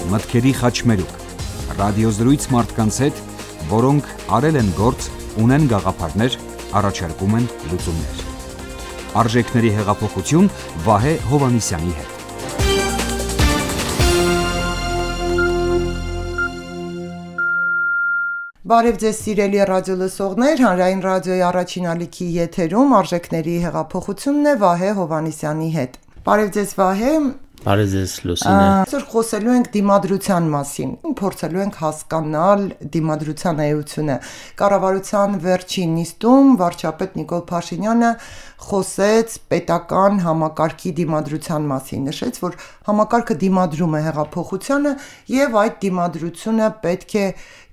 մտքերի խաչմերուկ, ռադիոզրույց մարդկանց հետ, որոնք արել են գործ, ունեն գաղափարներ, առաջարկում են լուծումներ։ Արժեքների հեղափոխություն Վահե Հովհաննիսյանի հետ։ Բարև ձեզ սիրելի ռադիոլսողներ, Հանրային ռադիոյի առաջին ալիքի եթերում արժեքների հեղափոխությունն է Վահե Հովհաննիսյանի հետ։ Բարև ձեզ Վահե։ Բարև ձեզ Լուսինե։ Այսօր խոսելու ենք դիմադրության մասին, փորձելու ենք հասկանալ դիմադրության էությունը։ Կառավարության վերջին նիստում վարչապետ Նիկոլ Փաշինյանը խոսեց պետական համակարգի դիմադրության մասին, նշեց, որ համակարգը դիմադրում է հեղափոխությանը եւ այդ դիմադրությունը պետք է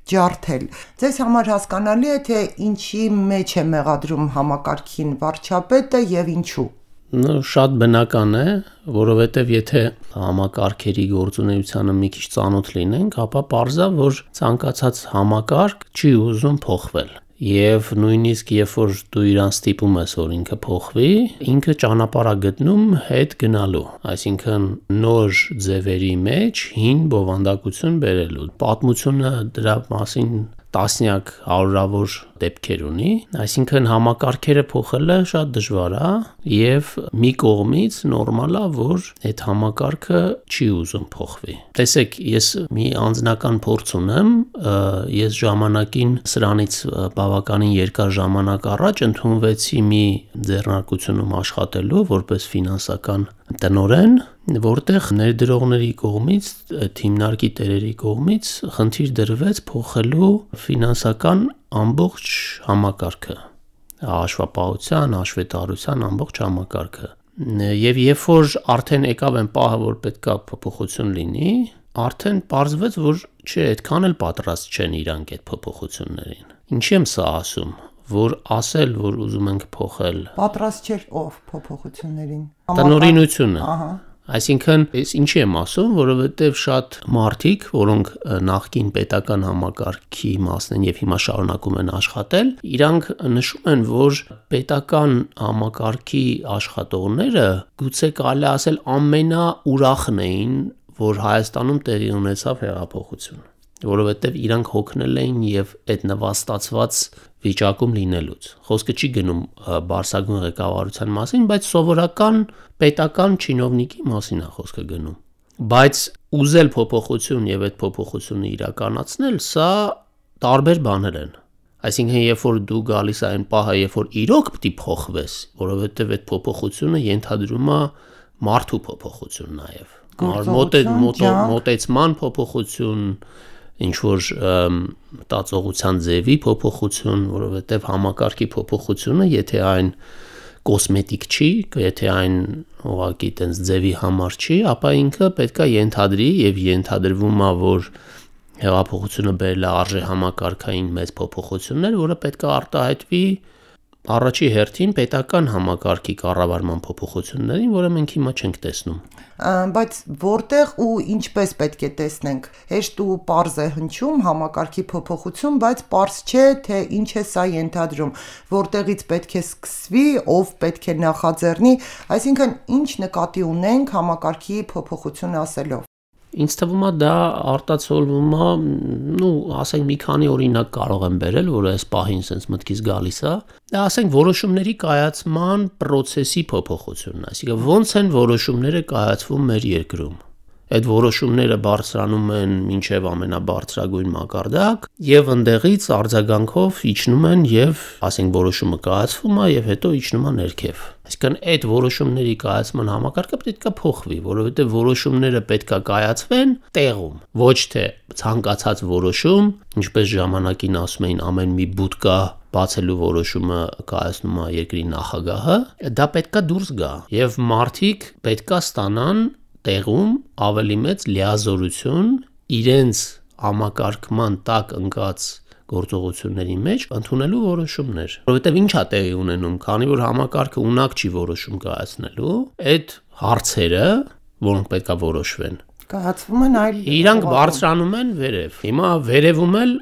ջարդել։ Ձեզ համար հասկանալի է, թե ինչի մեջ է մեղադրում համակարգին վարչապետը եւ ինչու։ Շատ բնական է, որովհետև եթե համակարգերի գործունեությանը մի քիչ ծանոթ լինենք, ապա պարզա, որ ցանկացած համակարգ չի ուզում փոխվել։ Եվ նույնիսկ երբ որ դու իրան ստիպում ես, որ ինքը փոխվի, ինքը ճանապարհ է գտնում հետ գնալու, այսինքն նոր ձևերի մեջ հին բովանդակություն բերելու։ Պատմությունը դրա մասին տասնյակ հարյուրավոր դեպքեր ունի, այսինքն համակարգերը փոխելը շատ դժվար է եւ մի կողմից նորմալ է, որ այդ համակարգը չի ուզում փոխվի։ Տեսեք, ես մի անձնական փորձ ունեմ, ես ժամանակին սրանից բավականին երկար ժամանակ առաջ ընդունվեցի մի ձեռնարկությունում աշխատելու որպես ֆինանսական տնօրեն, որտեղ ներդրողների կողմից, հիմնարկի տերերի կողմից խնդիր դրվեց փոխելու ֆինանսական ամբողջ համակարգը, հաշվապահության, հաշվետարության ամբողջ համակարգը։ Եվ երբ որ արդեն եկավ այն պահը, որ պետքա փոփոխություն լինի, արդեն պարզվեց, որ չէ, այդքան էլ պատրաստ չեն իրանք այդ փոփոխություններին։ Ինչի եմ սա ասում, որ ասել, որ ուզում ենք փոխել։ Պատրաստ չէր ով փոփոխություններին։ Տնօրինությունը։ Ահա։ Այսինքն, ես ինչի եմ ասում, որովհետև շատ մարդիկ, որոնք նախկին պետական համակարգի մասն են եւ հիմա շարունակում են աշխատել, իրանք նշում են, որ պետական համակարգի աշխատողները գուցե կարելի ասել ամենաուրախն էին, որ Հայաստանում տեղի ունեցավ հեղափոխություն, որովհետև իրանք հոգնել էին եւ այդ նվաստացված վիճակում լինելուց։ Խոսքը չի գնում բարձրագույն ղեկավարության մասին, բայց սովորական պետական չինովնիկի մասին է խոսքը գնում։ Բայց ուզել փոփոխություն եւ այդ փոփոխությունը իրականացնել, սա տարբեր բաներ են։ Այսինքն, երբ որ դու գալիս այն պահը, երբ որ իրոք պետք է փոխվես, որովհետեւ այդ փոփոխությունը ենթադրում է մարդու փոփոխություն նաեւ։ Մոտեցման փոփոխություն, ինչ որ մտածողության ձևի փոփոխություն, որովհետև համակարգի փոփոխությունը, եթե այն կոսմետիկ չի, եթե այն ուղղակի տենց ձևի համար չի, ապա ինքը պետքա ենթադրի եւ ենթադրվում է, որ հեղափոխությունը բերել է արժե համակարգային մեծ փոփոխություններ, որը պետքա արտահայտվի առաջի հերթին պետական համակարգի կառավարման փոփոխություններին, որը մենք հիմա չենք տեսնում։ Բայց որտեղ ու ինչպես պետք է տեսնենք։ Հեշտ ու պարզ է հնչում համակարգի փոփոխություն, բայց պարզ չէ, թե ինչ է սա ենթադրում, որտեղից պետք է սկսվի, ով պետք է նախաձեռնի, այսինքն ինչ նկատի ունենք համակարգի փոփոխություն ասելով։ Ինձ թվում է դա արտացոլվում է, ասենք մի քանի օրինակ կարող եմ բերել, որը այս պահին sense մտքից գալիս է։ Դա ասենք որոշումների կայացման process-ի փոփոխությունն է, այսինքն ոնց են որոշումները կայացվում մեր երկրում։ Այդ որոշումները բարձրանում են մինչև ամենաբարձրագույն մակարդակ եւ ընդեղից արձագանքով իջնում են եւ ասենք որոշումը կայացվում է եւ հետո իջնում է ներքև։ Այսինքն այդ որոշումների կայացման համակարգը պետք է փոխվի, որովհետեւ որոշումները պետք է կայացվեն տեղում, ոչ թե ցանկացած որոշում, ինչպես ժամանակին ասում էին ամեն մի բուտկա բացելու որոշումը կայացնում է երկրի նախագահը, դա պետք է դուրս գա եւ մարդիկ պետք է ստանան տեղում ավելի մեծ լիազորություն իրենց համակարգման տակ ընկած գործողությունների մեջ ընդունելու որոշումներ, որովհետև ինչ է տեղի ունենում, քանի որ համակարգը ունակ չի որոշում կայացնելու, այդ հարցերը, որոնք պետք է որոշվեն, կայացվում են այլ իրանք բարձրանում են վերև։ Հիմա վերևում էլ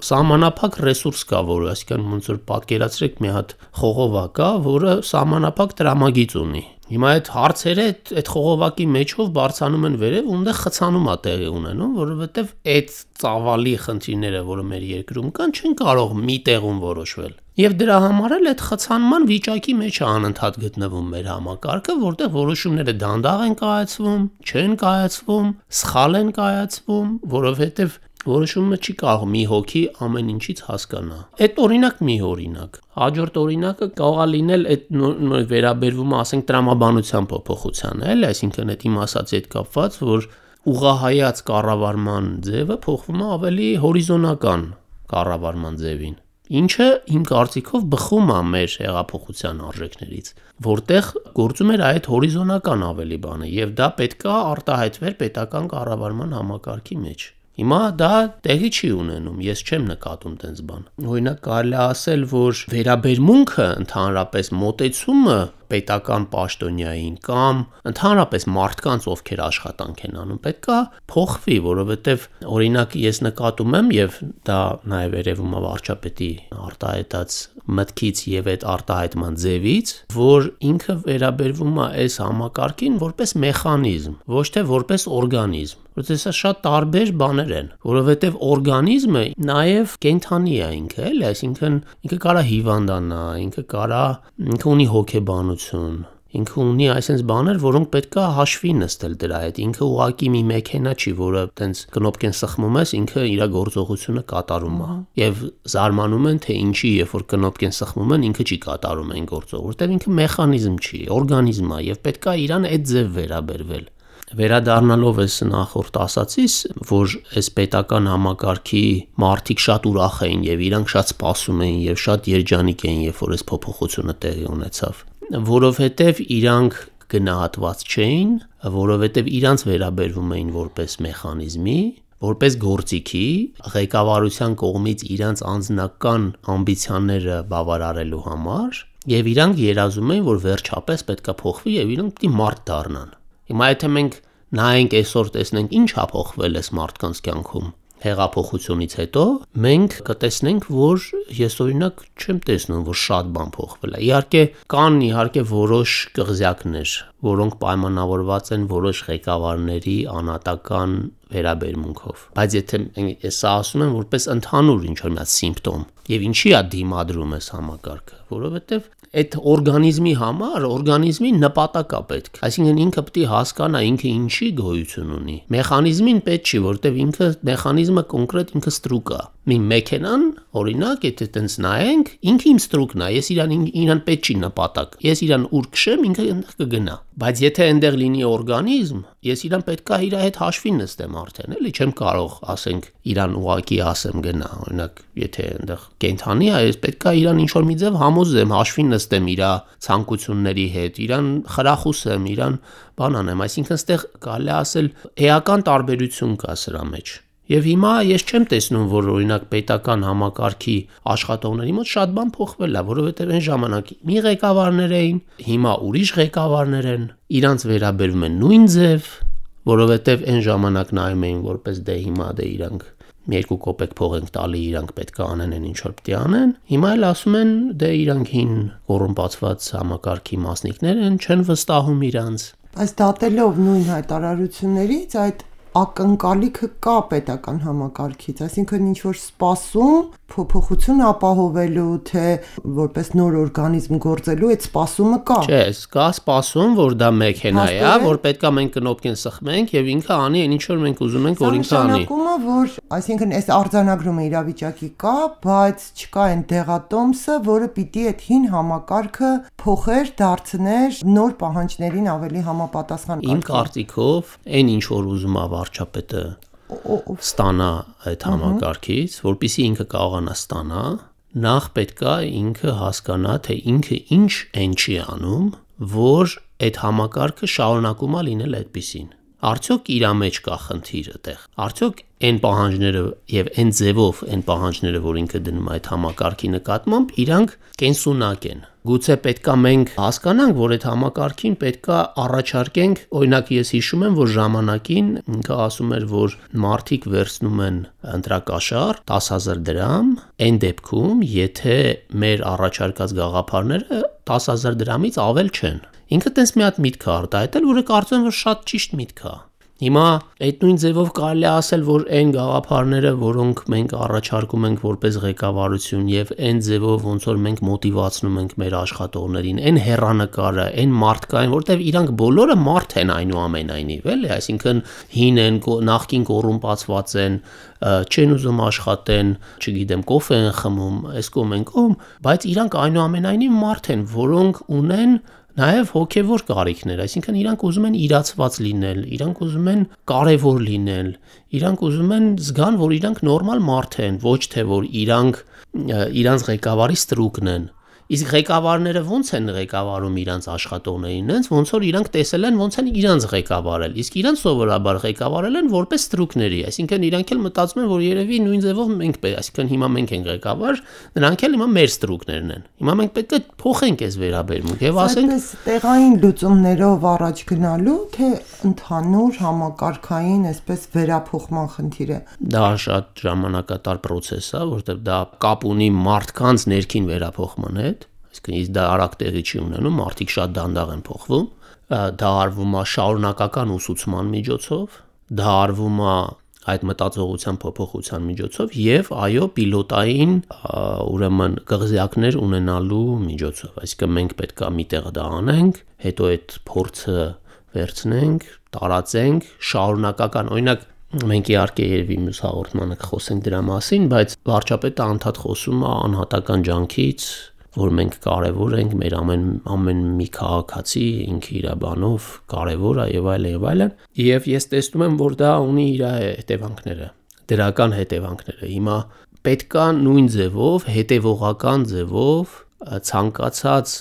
սահմանափակ ռեսուրս կա, որը, այսինքն ոնց որ պատկերացրեք մի հատ խողովակ կա, որը սահմանափակ տրամագիծ ունի։ Հիմա այդ հարցերը այդ խողովակի մեջով բարձանում են վերև, ու այնտեղ խցանում է տեղի ունենում, որովհետև այդ ծավալի խնդիրները, որը մեր երկրում կան, չեն կարող մի տեղում որոշվել։ Եվ դրա համար էլ այդ խցանման վիճակի մեջ է անընդհատ գտնվում մեր համակարգը, որտեղ որոշումները դանդաղ են կայացվում, չեն կայացվում, սխալ են կայացվում, որովհետև որոշումը չի կարող մի հոգի ամեն ինչից հասկանա։ Այդ օրինակ մի օրինակ։ Հաջորդ օրինակը կարող է լինել այդ վերաբերվում, ասենք, տրամաբանության փոփոխությանը, էլ, այսինքն այդ իմ ասածի հետ կապված, որ ուղղահայաց կառավարման ձևը փոխվում է ավելի հորիզոնական կառավարման ձևին։ Ինչը իմ կարծիքով բխում է մեր հեղափոխության արժեքներից, որտեղ գործում էր այդ հորիզոնական ավելի բանը, եւ դա պետք է արտահայտվեր պետական կառավարման համակարգի մեջ։ Հիմա դա տեղի չի ունենում, ես չեմ նկատում տենց բան։ Օրինակ կարելի է ասել, որ վերաբերմունքը, ընդհանրապես մոտեցումը պետական պաշտոնյային կամ ընդհանրապես մարդկանց, ովքեր աշխատանք են անում, պետք է փոխվի, որովհետև օրինակ ես նկատում եմ, եւ դա նաեւ երևում է վարչապետի արտահայտած մտքից եւ այդ արտահայտման ձևից, որ ինքը վերաբերվում է այս համակարգին որպես մեխանիզմ, ոչ թե որպես օրգանիզմ, որովհետեւ սա շատ տարբեր բաներ են, որովհետեւ օրգանիզմը նաեւ կենդանի է ինքը, էլի, այսինքն ինքը կարա հիվանդանա, ինքը ունի հոգեբանություն, ինքը ունի այսպես բաներ, որոնք պետքա հաշվի նստել դրա հետ։ Ինքը ուղակի մի մեքենա չի, որը տենց կնոպկեն սխմում ես, ինքը իր գործողությունը կատարում է։ Եվ զարմանում են, թե ինչի, երբ որ կնոպկեն սխմում են, ինքը չի կատարում այն գործը, որտեղ ինքը մեխանիզմ չի, օրգանիզմ է, եւ պետքա իրան այդ ձև վերաբերվել։ Վերադառնալով այս նախորդ ասացից, որ այս պետական համակարգի մարդիկ շատ ուրախ էին եւ իրանք շատ սպասում էին եւ շատ երջանիկ էին, երբ որ այս փոփոխությունը տեղի ունեցավ, որովհետեւ իրանք գնահատված չէին, որովհետեւ իրանք վերաբերվում էին որպես մեխանիզմի, որպես գործիքի, ղեկավարության կողմից իրանք անձնական ամբիցիաները բավարարելու համար, եւ իրանք երազում էին, որ վերջապես պետքա փոխվի եւ իրանք պիտի մարդ դառնան։ Հիմա եթե մենք նայենք այսօր տեսնենք ինչ է փոխվել այս մարդկանց կյանքում հեղափոխությունից հետո, մենք կտեսնենք, որ ես օրինակ չեմ տեսնում, որ շատ բան փոխվել է։ Իհարկե որոշ կղզյակներ, որոնք պայմանավորված են որոշ ղեկավարների անհատական վերաբերմունքով։ Բայց եթե ես ասում եմ որպես ընդհանուր ինչ-որ մի սիմպտոմ, եւ ինչի է դիմադրում այս համակարգը, որովհետեւ այդ օրգանիզմի համար օրգանիզմի նպատակ է պետք։ Այսինքն ինքը պետք է հասկանա ինքը ինչի գոյություն ունի։ Մեխանիզմին պետք չի, որտեվ ինքը մեխանիզմը կոնկրետ ինքը ստրուկ է։ Մի մեքենան, օրինակ, եթե տենց նայենք, ինքը իմ ստրուկն է, ես իրան պետք չի նպատակ։ Ես իրան ուր քշեմ, ինքը այնտեղ կգնա։ Բայց եթե այնտեղ լինի օրգանիզմ, ես իրան պետք է իր հետ հաշվի նստեմ արդեն, էլի, չեմ կարող, ասենք, իրան ուղակի ասեմ գնա, օրինակ, եթե այնտեղ կենդանի է, ես պետք է իրան ինչ-որ մի ձև համոզեմ, հաշվի նստեմ իր ցանկությունների հետ, իրան խրախուսեմ, իրան բան անեմ, այսինքն այստեղ կարելի ասել էական տարբերություն կա սրա մեջ։ Եվ հիմա ես չեմ տեսնում, որ օրինակ պետական համակարգի աշխատողների մոտ շատ բան փոխվել է, որովհետև այն ժամանակ մի ղեկավարներ էին, հիմա ուրիշ ղեկավարներ են, իրանց վերաբերվում են նույն ձև, որովհետև այն ժամանակ նայում էին որպես դե հիմա դե իրանք 2 կոպեկ փող ենք տալի, իրանք պետք է անեն ինչ որ պետք է անեն, հիմա էլ ասում են դե իրանք հին կոռումպացված համակարգի մասնիկներ են, չեն վստահում իրանց։ Բայց դատելով նույն հայտարարություններից այդ ակնկալիքը կա պետական համակարգից, այսինքն ինչ որ սպասում փոփոխություն ապահովելու, թե որպես նոր օրգանիզմ գործելու այդ սպասումը կա։ Չէ, կա սպասում, որ դա մեքենա է, որ պետքա մենք կնոպկեն սխմենք եւ ինքը անի այն ինչ որ մենք ուզում ենք, որ ինքը անի։ Նշանակումը, որ այսինքն այս արձանագրումը իրավիճակի կա, բայց չկա այն դեղատոմսը, որը պիտի այդ հին համակարգը փոխեր, դարձներ նոր պահանջներին ավելի համապատասխան։ Իմ կարծիքով այն ինչ որ ուզում է վարչապետը ստանա այդ համակարգից, որպեսզի ինքը կարողանա ստանա, նախ պետքա ինքը հասկանա, թե ինքը ինչ են չի անում, որ այդ համակարգը շարունակում է լինել այդպիսին։ Արդյոք իր մեջ կա խնդիր այդտեղ։ Արդյոք այն պահանջները եւ այն ձևով այն պահանջները, որ ինքը դնում է այդ համակարգի նկատմամբ, իրանք կենսունակ են։ Գուցե պետքա մենք հասկանանք, որ այդ համակարգին պետքա առաջարկենք, օրինակ ես հիշում եմ, որ ժամանակին ինքը ասում էր, որ մարդիկ վերցնում են ընտրակաշար 10,000 դրամ, այն դեպքում, եթե մեր առաջարկած գաղափարները 10,000 դրամից ավել չեն։ Ինքը տենց մի հատ միտք է արտահայտել, որը կարծում եմ, որ շատ ճիշտ միտք է։ Հիմա այդ նույն ձևով կարելի է ասել, որ այն գաղափարները, որոնք մենք առաջարկում ենք որպես ղեկավարություն եւ այն ձևով ոնց որ մենք մոտիվացնում ենք մեր աշխատողներին, այն հեռանկարը, այն մարդկային, որտեվ իրանք բոլորը մարդ են այնուամենայնիվ, էլի, այսինքն հին են, նախկին կոռումպացված են, չեն ուզում աշխատեն, չգիտեմ, կոֆե են խմում, այս կողմ են կողմ, բայց իրանք այնուամենայնիվ մարդ են, որոնք ունեն նաև հոգևոր կարիքներ, այսինքն իրանք ուզում են իրացված լինել, իրանք ուզում են կարևոր լինել, իրանք ուզում են զգան, որ իրանք նորմալ մարդ են, ոչ թե որ իրանք ղեկավարի ստրուկն են։ Իսկ ղեկավարները ոնց են ղեկավարում իրանք աշխատողներին, ոնց որ իրանք տեսել են, ոնց են իրանք ղեկավարել։ Իսկ իրանք սովորաբար ղեկավարել են որպես ստրուկների, այսինքն իրանք էլ մտածում են, որ երևի նույն ձևով մենք այսինքն հիմա մենք ենք ղեկավար, նրանք էլ հիմա մեր ստրուկներն են։ Հիմա մենք պետք է փոխենք այս վերաբերմունքը եւ ասենք տեղային լուծումներով առաջ գնալու, թե ընդհանուր համակարգային այսպես վերափոխման խնդիր է։ Դա շատ ժամանակատար process է, որտեղ դա կապ ունի մարդկանց ներքին վերափոխման հետ։ Իսկ դա արագ տեղի չի ունենում, մարդիկ շատ դանդաղ են փոխվում, դա արվում է շարունակական ուսուցման միջոցով, դա արվում է այդ մտածողության փոփոխության միջոցով եւ այո պիլոտային ուրեմն կղզյակներ ունենալու միջոցով, այսինքն մենք պետք է միտեղ դա անենք, հետո այդ փորձը վերցնենք, տարածենք, շարունակական, օրինակ մենք իհարկե երևի մյուս հաղորդմանը կխոսենք դրա մասին, բայց վարչապետը անդադ խոսում է անհատական ջանքից, որ մենք կարևոր ենք, մեր ամեն մի քաղաքացի ինքը իր բանով կարևոր է եւ այլն, եւ ես տեսնում եմ, որ դա ունի իր հետևանքները, դրական հետևանքները։ Հիմա պետքա նույն ձևով, հետևողական ձևով ցանկացած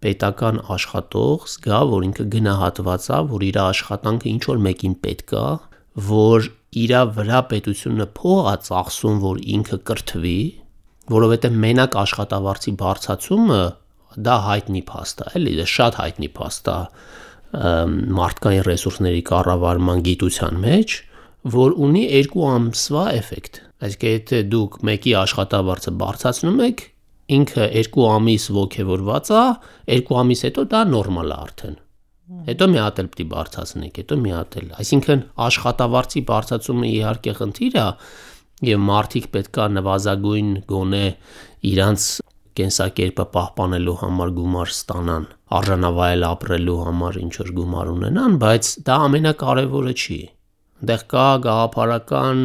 պետական աշխատող զգա, որ ինքը գնահատված է, որ իր աշխատանքը ինչ որ մեկին պետք է, որ իր վրա պետությունը փող է ծախսում, որ ինքը կրթվի, որովհետև մենակ աշխատավարձի բարձրացումը դա հայտնի փաստ է, էլի, դա շատ հայտնի փաստ է մարդկային ռեսուրսների կառավարման գիտության մեջ, որ ունի 2 ամսվա էֆեկտ։ Այսինքն եթե դուք մեկի աշխատավարձը բարձրացնում եք, ինքը 2 ամիս ոգևորված է, 2 ամիս հետո դա նորմալ է արդեն։ Հետո մի հատ էլ պիտի բարձրացնեք, հետո մի հատ էլ։ Այսինքն աշխատավարձի բարձրացումը իհարկե խնդիր է, եւ մարդիկ պետքա նվազագույն գոնե իրանց կենսակերպը պահպանելու համար գումար ստանան, արժանավայել ապրելու համար ինչ որ գումար ունենան, բայց դա ամենակարևորը չի։ Այնտեղ կա գաղափարական,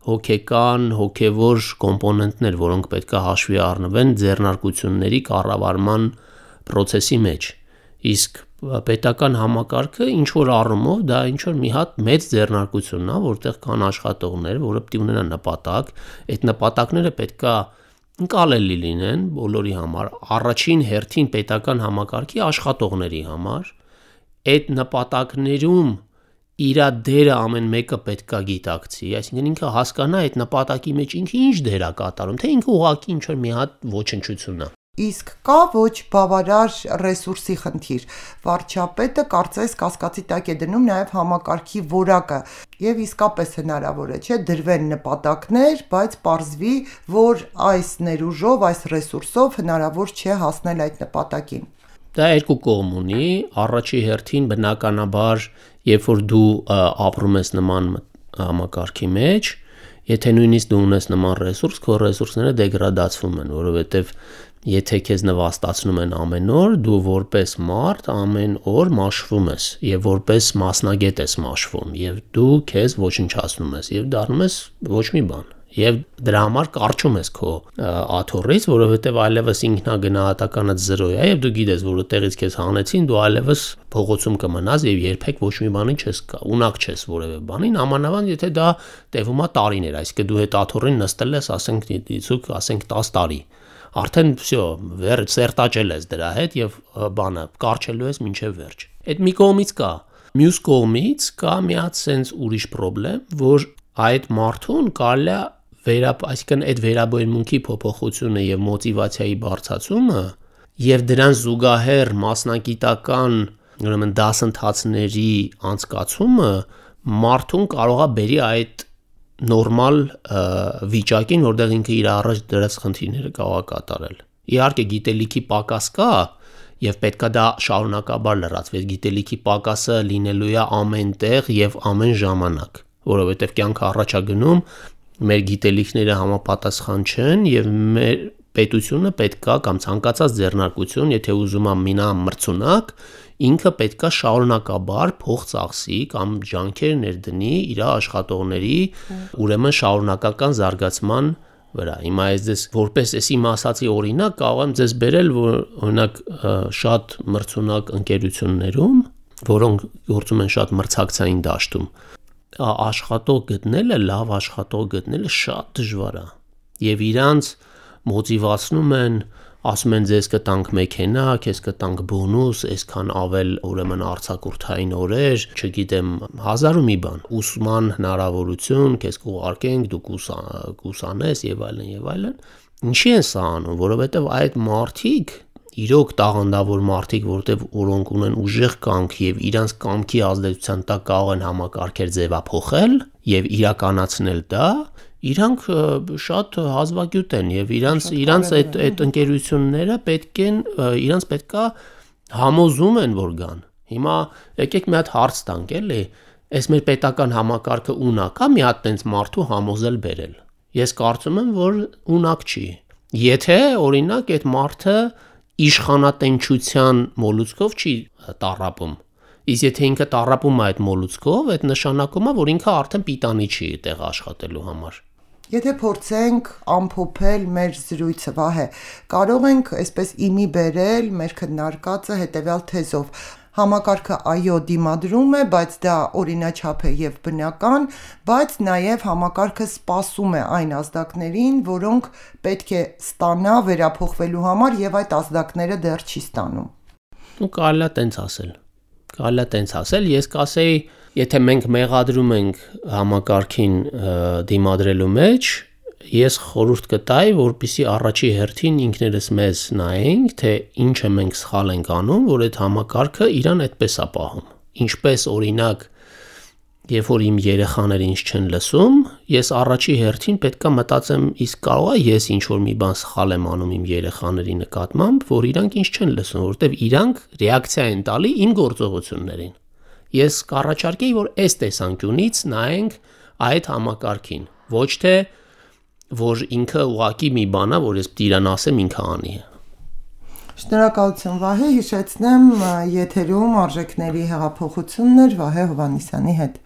հոգեկան, հոգևոր կոմպոնենտներ, որոնք պետքա հաշվի առնվեն ձեռնարկությունների կառավարման process-ի մեջ։ Իսկ պետական համակարգը ինչ որ առումով դա ինչ որ մի հատ մեծ ձեռնարկությունն է, որտեղ կան աշխատողներ, որը պետք է ունենան նպատակ, այդ նպատակները պետքա ընկալելի լինեն բոլորի համար, առաջին հերթին պետական համակարգի աշխատողների համար, այդ նպատակներում իր դերը ամեն մեկը պետքա գիտակցի, այսինքն ինքը հասկանա այդ նպատակի մեջ ինքը ինչ դեր է կատարում, թե ինքը ուղղակի ինչ որ մի հատ ոչնչություն է։ Իսկ կա ոչ բավարար ռեսուրսի խնդիր։ Վարչապետը կարծես կասկածի տակ է դնում նաև համակարգի որակը եւ իսկապես հնարավոր է, չէ, դրվեն նպատակներ, բայց պարզվի, որ այս ներուժով, այս ռեսուրսով հնարավոր չէ հասնել այդ նպատակին։ Դա 2 կողմ ունի, առաջի հերթին բնականաբար, երբ որ դու ապրում ես նման համակարգի մեջ, եթե նույնիսկ դու ունես նման ռեսուրս, քո ռեսուրսները դեգրադացվում են, որովհետև եթե քեզ նվաստացնում են ամեն օր, դու որպես մարդ ամեն օր մաշվում ես եւ որպես մասնագետ ես մաշվում եւ դու քեզ ոչնչացնում ես եւ դառնում ես ոչ մի բան եւ դրա համար կարճում ես քո աթոռից, որովհետեւ այլևս ինքնագնահատականդ 0 է եւ դու գիտես, որ այդտեղից քեզ հանեցին, դու այլևս փողոցում կմնաս եւ երբեք ոչ մի բանի չես ունակ չես որևէ բանին, ամանավանդ եթե դա տևում է տարիներ, այսինքն դու այդ աթոռին նստել ես, ասենք դիցուկ, ասենք 10 տարի արդեն всё, սերտաճել ես դրա հետ եւ բանը կարճելու ես մինչեւ վերջ։ Այդ մի կողմից կա, մյուս կողմից կա մի հատ sense ուրիշ խնդրեմ, որ այդ մարդուն կարելի է այսինքն այդ վերաբերմունքի փոփոխությունը եւ մոտիվացիայի բարձրացումը եւ դրան զուգահեռ մասնագիտական ուրեմն դասընթացների անցկացումը մարդուն կարող է բերի այդ նորմալ վիճակին, որտեղ ինքը իր առաջ դրած խնդիրները կարող է կատարել։ Իհարկե գիտելիքի պակաս կա Եվ պետքա դա շարունակաբար լրացվի, գիտելիքի պակասը լինելու է ամեն տեղ եւ ամեն ժամանակ, որովհետեւ կյանքը առաջ է գնում, մեր գիտելիքները համապատասխան չեն եւ մեր պետությունը պետքա կամ ցանկացած ձեռնարկություն, եթե ուզում է մնա մրցունակ, ինքը պետքա շարունակաբար փող ծախսի կամ ջանքեր ներդնի իր աշխատողների ուրեմն շարունակական զարգացման վրա։ Հիմա ես որպես էս իմ ասացի օրինակ կարող եմ ձեզ բերել, որ օրինակ շատ մրցունակ ընկերություններում, որոնք գործում են շատ մրցակցային դաշտում, աշխատող գտնելը, լավ աշխատող գտնելը շատ դժվար է։ Եվ իրանց մոտիվացնում են, ասում են ձեզ կտանք մեքենա, քեզ կտանք բոնուս, այսքան ավել ուրեմն արձակուրդային օրեր, չգիտեմ, հազար ու մի բան, ուսման հնարավորություն, քեզ կուղարկենք, դու կուսանես եւ այլն եւ այլն։ Ինչի են սա անում, որովհետեւ այդ մարդիկ իրոք տաղանդավոր մարդիկ, որոնք ունեն ուժեղ կամք եւ իրանց կամքի ազդեցության տակ կարող են համակարգեր ձևափոխել եւ իրականացնել դա, իրանք շատ հազվագյուտ են եւ իրանց այդ ընկերությունները իրանց պետքա համոզում են որ գան։ Հիմա եկեք մի հատ հարց տանք, էլի, այս մեր պետական համակարգը ունակ է մի հատ տենց մարդու համոզել բերել։ Ես կարծում եմ, որ ունակ չի։ Եթե օրինակ այդ մարդը իշխանատենչության մոլուցքով չի տառապում։ Իսկ եթե ինքը տառապում է այդ մոլուցքով, այդ նշանակում է, որ ինքը արդեն պիտանի չի այդտեղ աշխատելու համար։ Եթե փորձենք ամփոփել մեր զրույցը, Վահե, կարող ենք այսպես իմի բերել մեր քննարկածը հետևյալ թեզով. համակարգը այո դիմադրում է, բայց դա օրինաչափ է եւ բնական, բայց նաեւ համակարգը սպասում է այն ազդակներին, որոնք պետք է ստանա վերափոխվելու համար եւ այդ ազդակները դեռ չի ստանում։ Ու կարելի է տենց ասել, ես կասեի, եթե մենք մեղադրում ենք համակարգին դիմադրելու մեջ, ես խորհուրդ կտայի, որպեսզի առաջի հերթին ինքներս մեզ նայենք, թե ինչը մենք սխալ ենք անում, որ այդ համակարգը իրան այդպես է պահում։ Ինչպես օրինակ, երբ որ իմ երեխաները ինձ չեն լսում, ես առաջի հերթին պետքա մտածեմ, իսկ կարող է ես ինչ-որ մի բան սխալ եմ անում իմ երեխաների նկատմամբ, որ իրանք ինձ չեն լսում, որովհետև իրանք ռեակցիա են տալի իմ գործողություններին։ Ես կառաջարկեի, որ այս տեսանկյունից նայենք այդ համակարգին, ոչ թե որ ինքը ուղակի մի բան է, որ ես պիտի իրան ասեմ, ինքը անի։ Շնորհակալություն Վահե, հիշեցնեմ եթերում արժեքների հեղափոխություններ Վահե Հովհաննիսյանի հետ։